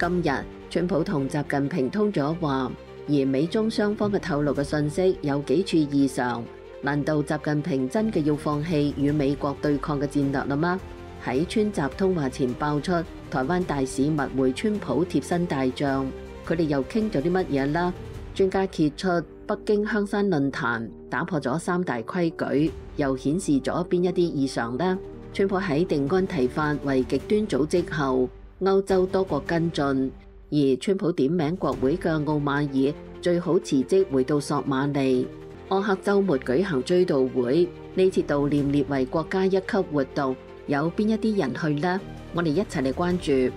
今日，川普同習近平通咗話，而美中雙方嘅透露嘅信息有幾處異常。難道習近平真嘅要放棄與美國對抗嘅戰略啦嗎？喺川習通話前爆出台灣大使密會川普貼身大將，佢哋又傾咗啲乜嘢啦？專家揭出北京香山論壇打破咗3大規矩，又顯示咗邊一啲異常呢？川普喺定安提法為極端組織後，歐洲多國跟進，而川普點名國會嘅奧馬爾最好辭職回到索馬利。柯克週末舉行追悼會，呢次悼念列為國家一級活動，有邊一啲人去呢？我哋一齊嚟關注。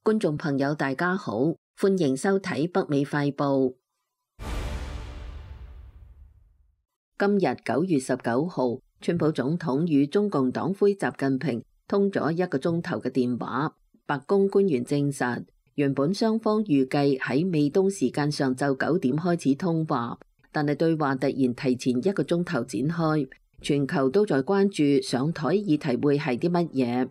觀眾朋友大家好，歡迎收睇北美快報。今日9月19號，川普總統與中共黨魁習近平通咗1個鐘頭嘅電話。白宮官員證實，原本雙方預計喺美東時間上晝9點開始通話，但係對話突然提前1個鐘頭展開。全球都在關注上台議題會係啲乜嘢，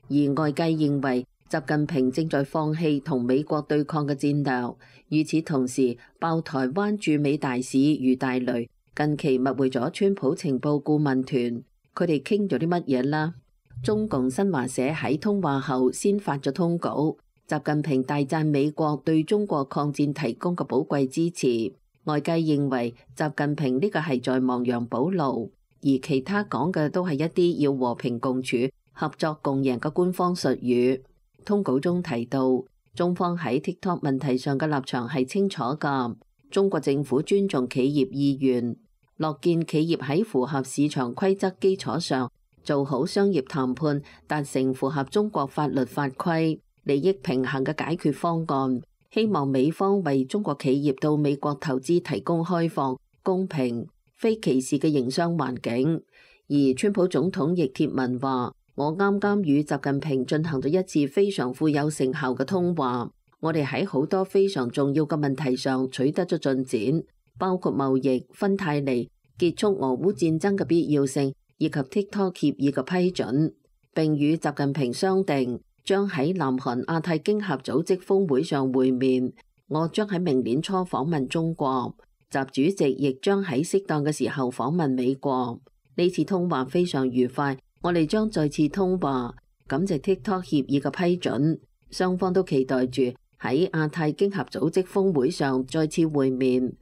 而外界認為習近平正在放棄同美國對抗嘅戰略。與此同時，爆台灣駐美大使余大雷近期密會咗川普情報顧問團，佢哋傾咗啲乜嘢啦？中共新華社喺通話後先發咗通稿，習近平大讚美國對中國抗戰提供嘅寶貴支持。外界認為習近平呢個係在亡羊補牢，而其他講嘅都係一啲要和平共處、合作共贏嘅官方術語。通稿中提到，中方喺 TikTok 問題上嘅立場係清楚㗎。中國政府尊重企業意願，樂見企業喺符合市場規則基礎上做好商業談判，達成符合中國法律法規、利益平衡嘅解決方案。希望美方為中國企業到美國投資提供開放、公平、非歧視嘅營商環境。而川普總統亦貼文話：我啱啱與習近平進行咗一次非常富有成效嘅通話。我哋喺好多非常重要嘅問題上取得咗進展，包括貿易、芬太尼、結束俄烏戰爭嘅必要性，以及 TikTok 協議嘅批准。並與習近平商定將喺南韓亞太經合組織峰會上會面。我將喺明年初訪問中國，習主席亦將喺適當嘅時候訪問美國。呢次通話非常愉快，我哋將再次通話，感謝 TikTok 協議嘅批准。雙方都期待住喺亞太經合組織峰會上再次會面。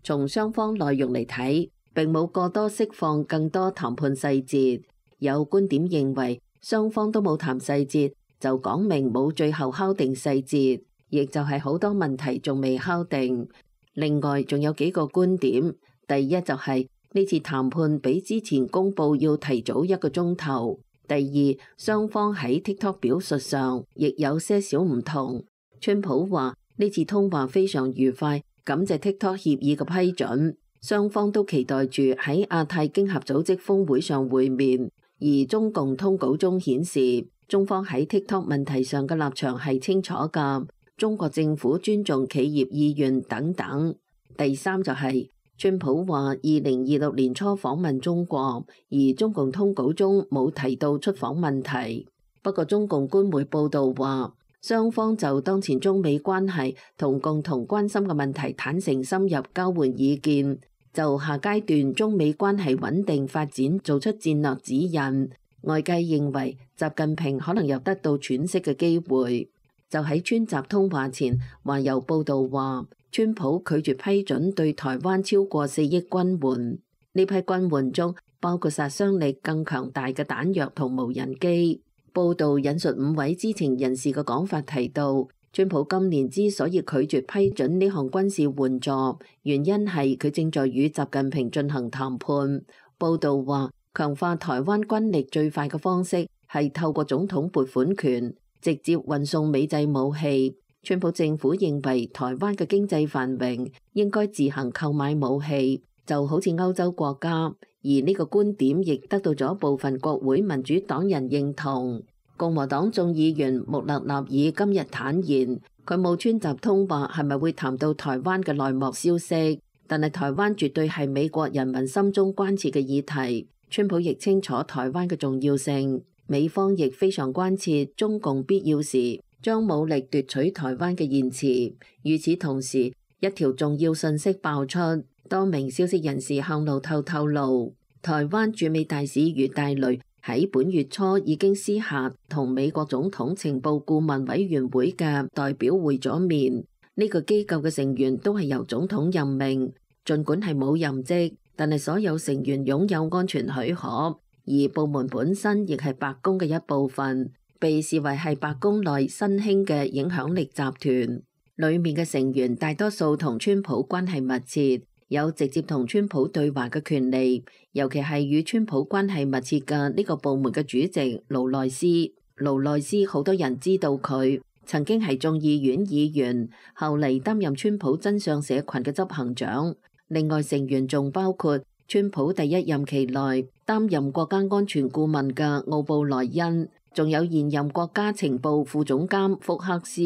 從雙方內容嚟睇，並冇過多釋放更多談判細節。有觀點認為，雙方都冇談細節，就講明冇最後敲定細節，亦就係好多問題仲未敲定。另外仲有幾個觀點，第一就係呢次談判比之前公佈要提早1個鐘頭。第二，雙方喺 TikTok 表述上亦有些少唔同。川普話呢次通話非常愉快，感謝 TikTok 協議嘅批准，雙方都期待住喺亞太經合組織峰會上會面。而中共通稿中顯示，中方喺 TikTok 問題上嘅立場係清楚㗎，中國政府尊重企業意願等等。第三就係川普話2026年初訪問中國，而中共通稿中冇提到出訪問題。不過中共官媒報導話，雙方就當前中美關係同共同關心嘅問題坦誠深入交換意見，就下階段中美關係穩定發展做出戰略指引。外界認為習近平可能有得到喘息嘅機會。就喺川習通話前，華郵報導話，川普拒絕批准對台灣超過4億軍援，呢批軍援中包括殺傷力更強大嘅彈藥同無人機。報導引述5位知情人士嘅講法提到，川普今年之所以拒絕批准呢項軍事援助，原因係佢正在與習近平進行談判。報導話，強化台灣軍力最快嘅方式係透過總統撥款權直接運送美製武器。川普政府認為台灣嘅經濟繁榮應該自行購買武器，就好似歐洲國家。而呢個觀點亦得到咗部分國會民主黨人認同。共和黨眾議員穆勒納爾今日坦言，佢冇川習通話係咪會談到台灣嘅內幕消息，但係台灣絕對係美國人民心中關切嘅議題。川普亦清楚台灣嘅重要性，美方亦非常關切中共必要時將武力奪取台灣嘅言辭。與此同時，一條重要信息爆出，多名消息人士向路透透露，台灣駐美大使余大雷喺本月初已經私下同美國總統情報顧問委員會嘅代表會咗面。呢個機構嘅成員都係由總統任命，儘管係冇任職，但係所有成員擁有安全許可，而部門本身亦係白宮嘅一部分，被視為係白宮內新興嘅影響力集團。裡面嘅成員大多數同川普關係密切，有直接同川普對話嘅權利，尤其係與川普關係密切嘅呢個部門嘅主席勞內斯。勞內斯好多人知道佢曾經係眾議院議員，後嚟擔任川普真相社群嘅執行長。另外成員仲包括川普第一任期內擔任國家安全顧問嘅奧布萊恩，仲有現任國家情報副總監福克斯。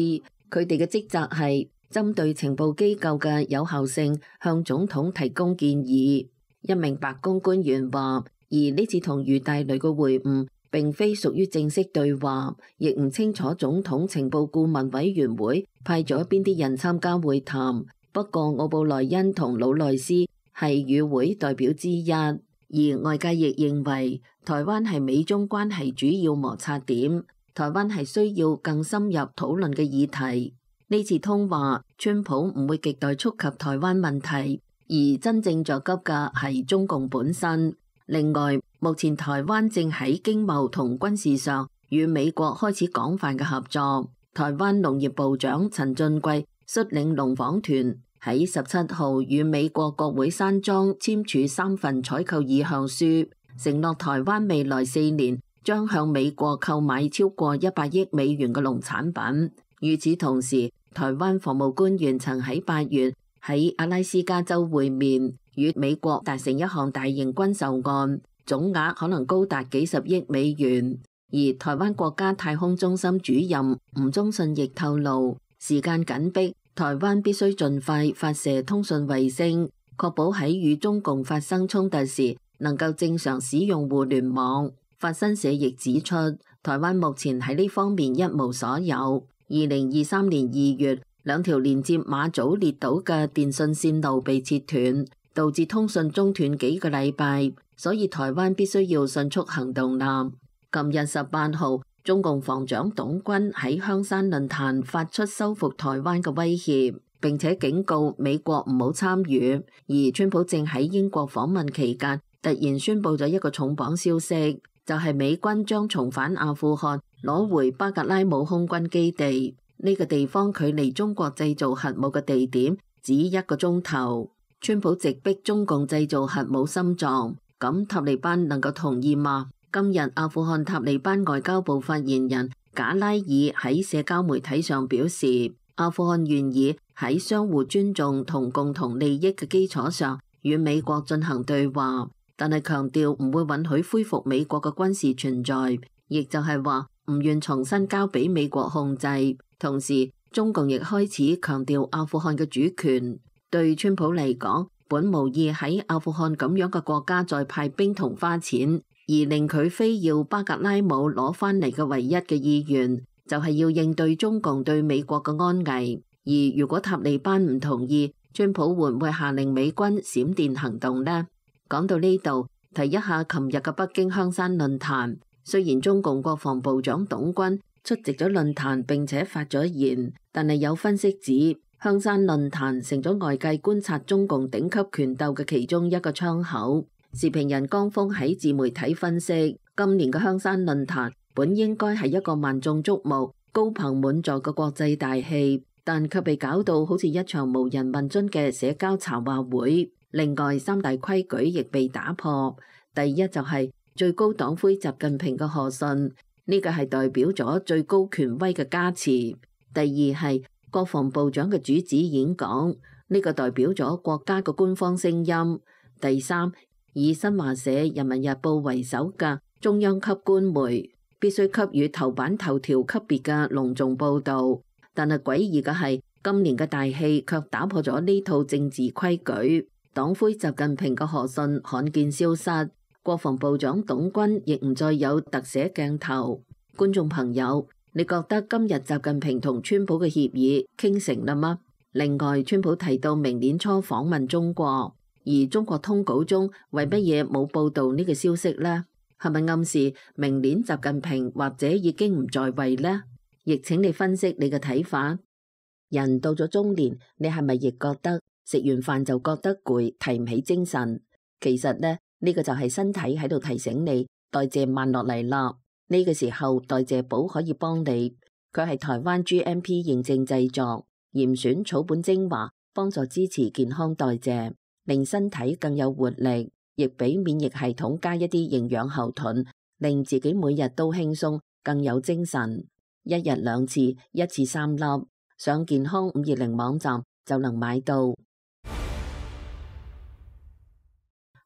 佢哋嘅職責係針對情報機構嘅有效性向總統提供建議。一名白宮官員話，而呢次同余大雷嘅會晤並非屬於正式對話，亦唔清楚總統情報顧問委員會派咗邊啲人參加會談。不過奧布萊恩同魯內斯係與會代表之一，而外界亦認為台灣係美中關係主要摩擦點，台灣係需要更深入討論嘅議題。呢次通話，川普唔會極待觸及台灣問題，而真正着急嘅係中共本身。另外，目前台灣正喺經貿同軍事上與美國開始廣泛嘅合作。台灣農業部長陳進貴率領農訪團喺17號與美國國會山莊簽署3份採購意向書，承諾台灣未來4年將向美國購買超過100億美元嘅農產品。與此同時，台灣防務官員曾喺8月喺阿拉斯加州會面，與美國達成一項大型軍售案，總額可能高達幾十億美元。而台灣國家太空中心主任吳宗信亦透露，時間緊迫，台灣必須盡快發射通訊衛星，確保喺與中共發生衝突時能夠正常使用互聯網。法新社亦指出，台灣目前喺呢方面一無所有。2023年2月，2條連接馬祖列島嘅電信線路被切斷，導致通訊中斷幾個禮拜，所以台灣必須要迅速行動啦。今日18號，中共防長董軍喺香山論壇發出收復台灣嘅威脅，並且警告美國唔好參與。而川普正喺英國訪問期間，突然宣布咗一個重磅消息，就係美軍將重返阿富汗，攞回巴格拉姆空軍基地。呢個地方距離中國製造核武嘅地點只1個鐘頭。川普直逼中共製造核武心臟，咁塔利班能夠同意嗎？今日阿富汗塔利班外交部發言人賈拉爾喺社交媒體上表示，阿富汗願意喺相互尊重同共同利益嘅基礎上與美國進行對話，但係強調唔會允許恢復美國嘅軍事存在，亦就係話唔願重新交俾美國控制。同時，中共亦開始強調阿富汗嘅主權。對川普嚟講，本無意喺阿富汗咁樣嘅國家再派兵同花錢。而令佢非要巴格拉姆攞翻嚟嘅唯一嘅意願，就係要應對中共對美國嘅安危。而如果塔利班唔同意，川普會唔會下令美軍閃電行動呢？講到呢度，提一下琴日嘅北京香山論壇。雖然中共國防部長董軍出席咗論壇並且發咗言，但係有分析指，香山論壇成咗外界觀察中共頂級權鬥嘅其中一個窗口。時評人江峰喺自媒體分析，今年嘅香山論壇本應該係一個萬眾矚目、高朋滿座嘅國際大戲，但卻被搞到好似一場無人問津嘅社交茶話會。另外，3大規矩亦被打破。第一就係最高黨魁習近平嘅賀信，呢個係代表咗最高權威嘅加持。第二係國防部長嘅主旨演講，呢個代表咗國家嘅官方聲音。第三，以新華社、人民日報為首嘅中央級官媒必須給予頭版頭條級別嘅隆重報導，但係詭異嘅係，今年嘅大戲卻打破咗呢套政治規矩。黨魁習近平嘅賀信罕見消失，國防部長董軍亦唔再有特寫鏡頭。觀眾朋友，你覺得今日習近平同川普嘅協議傾成啦嗎？另外，川普提到明年初訪問中國，而中國通稿中為乜嘢冇報導呢個消息呢？係咪暗示明年習近平或者已經唔在位呢？亦請你分析你嘅睇法。人到咗中年，你係咪亦覺得食完飯就覺得攰，提唔起精神？其實呢個就係身體喺度提醒你代謝慢落嚟啦。呢個時候代謝寶可以幫你，佢係台灣 GMP 認證製作，嚴選草本精華，幫助支持健康代謝，令身體更有活力，亦俾免疫系統加一啲營養後盾，令自己每日都輕鬆，更有精神。一日2次，一次3粒，上健康520網站就能買到。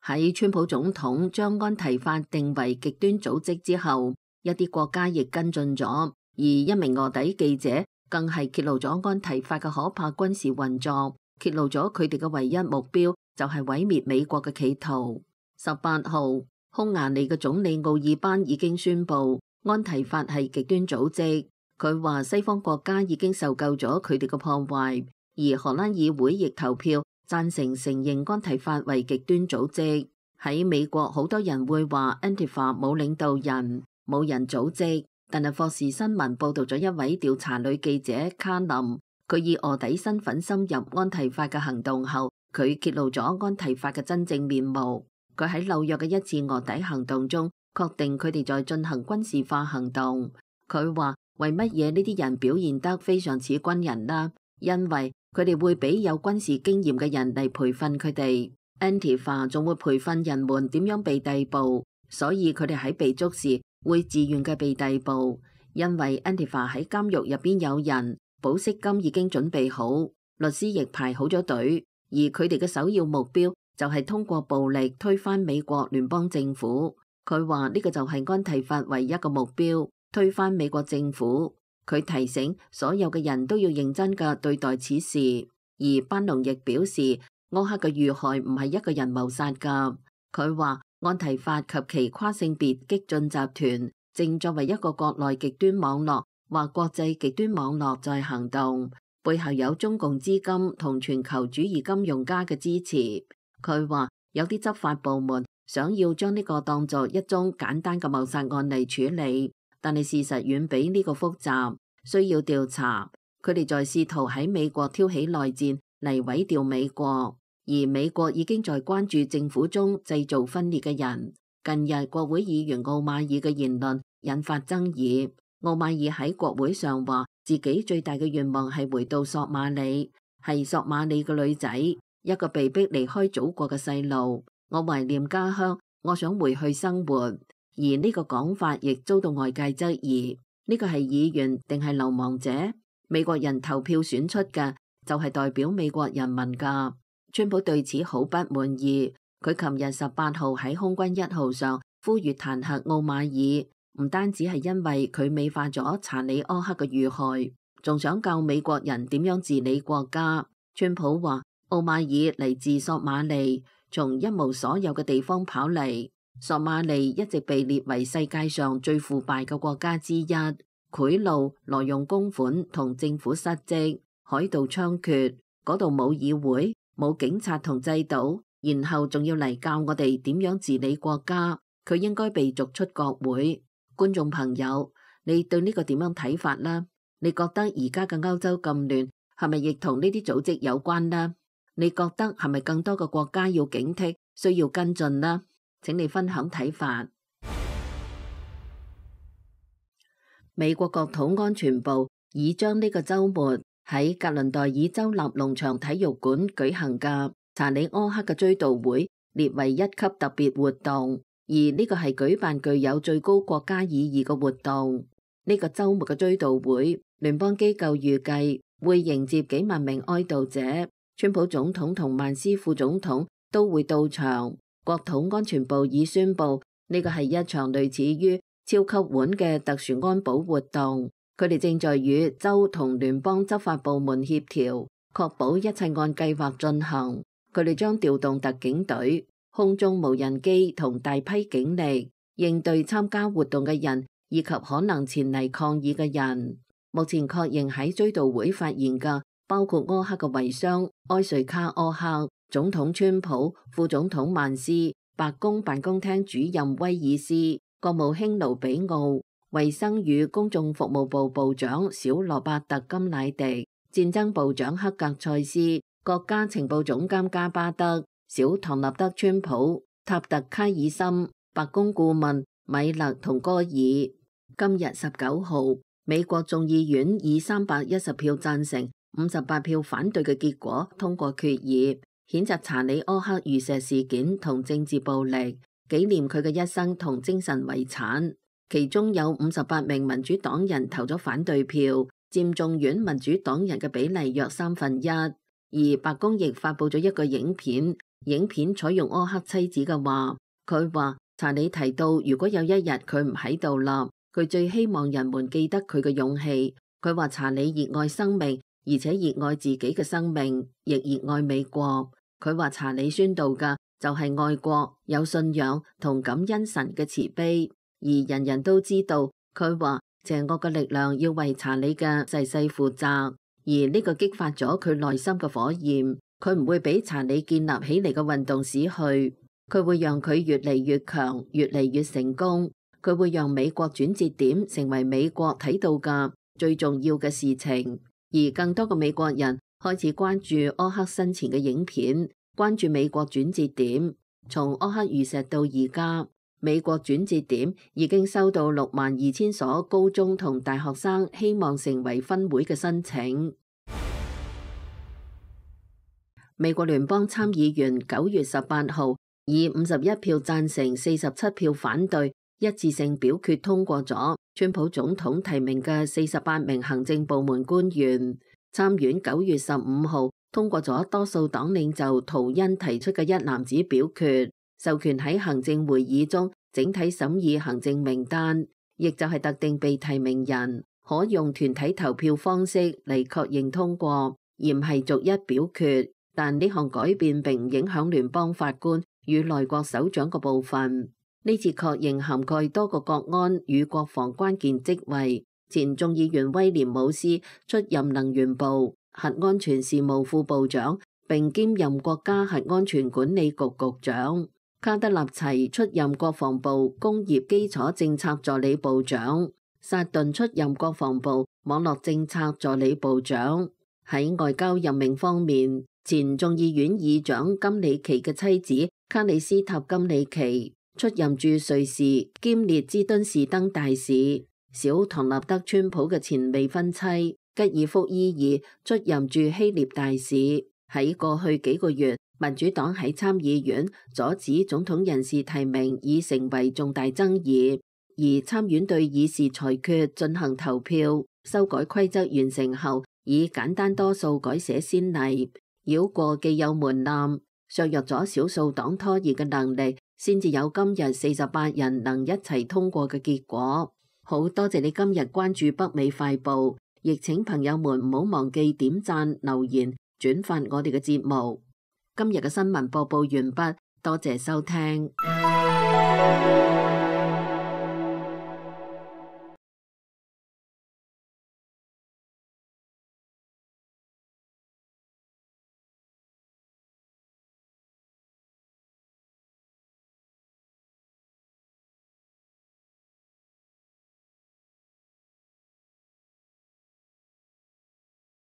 喺川普總統將安提法定為極端組織之後，一啲國家亦跟進咗，而一名臥底記者更係揭露咗安提法嘅可怕軍事運作，揭露咗佢哋嘅唯一目標就係毀滅美國嘅企圖。18號，匈牙利嘅總理奧爾班已經宣布安提法係極端組織，佢話西方國家已經受夠咗佢哋嘅破壞，而荷蘭議會亦投票贊成承認安提法為極端組織。喺美國，好多人會話安提法冇領導人，冇人組織，但係霍士新聞報道咗一位調查女記者卡林，佢以臥底身份深入安提法嘅行動後，佢揭露咗安提法嘅真正面目。佢喺紐約嘅一次臥底行動中，確定佢哋在進行軍事化行動。佢話為乜嘢呢啲人表現得非常似軍人啦？因為佢哋會俾有軍事經驗嘅人嚟培訓佢哋。安提法仲會培訓人們點樣被逮捕，所以佢哋喺被捉時會自願嘅被逮捕。因為安提法喺監獄入邊有人，保釋金已經準備好，律師亦排好咗隊，而佢哋嘅首要目標就係通過暴力推翻美國聯邦政府。佢話呢個就係安提法唯一嘅目標，推翻美國政府。佢提醒所有嘅人都要認真嘅對待此事。而班農亦表示，柯克嘅遇害唔係一個人謀殺噶。佢話安提法及其跨性別激進集團正作為一個國內極端網絡或國際極端網絡在行動，背後有中共資金同全球主義金融家嘅支持。佢話有啲執法部門想要將呢個當作一宗簡單嘅謀殺案嚟處理，但係事實遠比呢個複雜，需要調查。佢哋在試圖喺美國挑起內戰嚟毀掉美國。而美國已經在關注政府中製造分裂嘅人。近日國會議員奧馬爾嘅言論引發爭議。奧馬爾喺國會上話自己最大嘅願望係回到索馬里，係索馬里嘅女仔，一個被逼離開祖國嘅細路。我懷念家鄉，我想回去生活。而呢個講法亦遭到外界質疑，呢個係議員定係流亡者？美國人投票選出嘅就係代表美國人民㗎。川普對此好不滿意，佢琴日18號喺空軍1號上呼籲彈劾奧馬爾，唔單止係因為佢美化咗查理柯克嘅遇害，仲想教美國人點樣治理國家。川普話奧馬爾嚟自索馬利，從一無所有嘅地方跑嚟。索馬利一直被列為世界上最腐敗嘅國家之一，賄賂、挪用公款同政府失職，海盜猖獗，嗰度冇議會，冇警察同制度，然後仲要嚟教我哋點樣治理國家，佢應該被逐出國會。觀眾朋友，你對呢個點樣睇法呢？你覺得而家嘅歐洲咁亂，係咪亦同呢啲組織有關呢？你覺得係咪更多嘅國家要警惕，需要跟進呢？請你分享睇法。美國國土安全部已將呢個週末喺格倫代爾州立農場體育館舉行嘅查理柯克嘅追悼會列為1級特別活動，而呢個係舉辦具有最高國家意義嘅活動。呢個週末嘅追悼會，聯邦機構預計會迎接幾萬名哀悼者，川普總統同曼斯副總統都會到場。國土安全部已宣布呢個係一場類似於超級碗嘅特殊安保活動，佢哋正在與州同聯邦執法部門協調，確保一切按計劃進行。佢哋將調動特警隊、空中無人機同大批警力，應對參加活動嘅人以及可能前嚟抗議嘅人。目前確認喺追悼會發言嘅包括柯克嘅遺孀埃瑞卡·柯克、總統川普、副總統曼斯、白宮辦公廳主任威爾斯、國務卿盧比奧、衛生與公眾服務部部長小羅伯特·金乃迪、戰爭部長克格塞斯、國家情報總監加巴德、小唐納德·川普、塔特·卡爾森、白宮顧問米勒同戈爾。今日19號，美國眾議院以310票贊成、58票反對嘅結果通過決議，譴責查理·柯克遇刺事件同政治暴力，紀念佢嘅一生同精神遺產。其中有58名民主黨人投咗反對票，佔眾院民主黨人嘅比例約1/3。而白宮亦發佈咗一個影片，影片採用柯克妻子嘅話，佢話查理提到如果有一日佢唔喺度啦，佢最希望人們記得佢嘅勇氣。佢話查理熱愛生命，而且熱愛自己嘅生命，亦熱愛美國。佢話查理宣導嘅就係愛國、有信仰同感恩神嘅慈悲。而人人都知道，佢話邪惡嘅力量要為查理嘅逝世負責，而呢個激發咗佢內心嘅火焰。佢唔會俾查理建立起嚟嘅運動死去，佢會讓佢越嚟越強，越嚟越成功。佢會讓美國轉折點成為美國睇到嘅最重要嘅事情，而更多嘅美國人開始關注柯克生前嘅影片，關注美國轉折點。從柯克遇刺到而家，美國轉折點已經收到62000所高中同大學生希望成為分會嘅申請。美國聯邦參議員9月18號以51票贊成、47票反對，一致性表決通過咗川普總統提名嘅48名行政部門官員。參院9月15號通過咗多數黨領袖圖恩提出嘅一籃子表決，授權喺行政會議中整體審議行政名單，亦就係特定被提名人可用團體投票方式嚟確認通過，而唔係逐一表決。但呢項改變並唔影響聯邦法官與內閣首長嘅部分。呢次確認涵蓋多個國安與國防關鍵職位。前眾議員威廉姆斯出任能源部核安全事務副部長，並兼任國家核安全管理局局長。卡德納齊出任國防部工業基礎政策助理部長。薩頓出任國防部網絡政策助理部長。喺外交任命方面，前眾議院議長金里奇嘅妻子卡里斯塔金里奇出任駐瑞士兼列支敦士登大使。小唐納德川普嘅前未婚妻吉爾福伊爾出任駐希臘大使。喺過去幾個月，民主黨喺參議院阻止總統人事提名已成為重大爭議，而參院對議事裁決進行投票，修改規則完成後以簡單多數改寫先例，繞過既有門檻，削弱咗少數黨拖延嘅能力，先至有今日48人能一齊通過嘅結果。好多謝你今日關注北美快報，亦請朋友們唔好忘記點讚、留言、轉發我哋嘅節目。今日嘅新聞播報完畢，多謝收聽。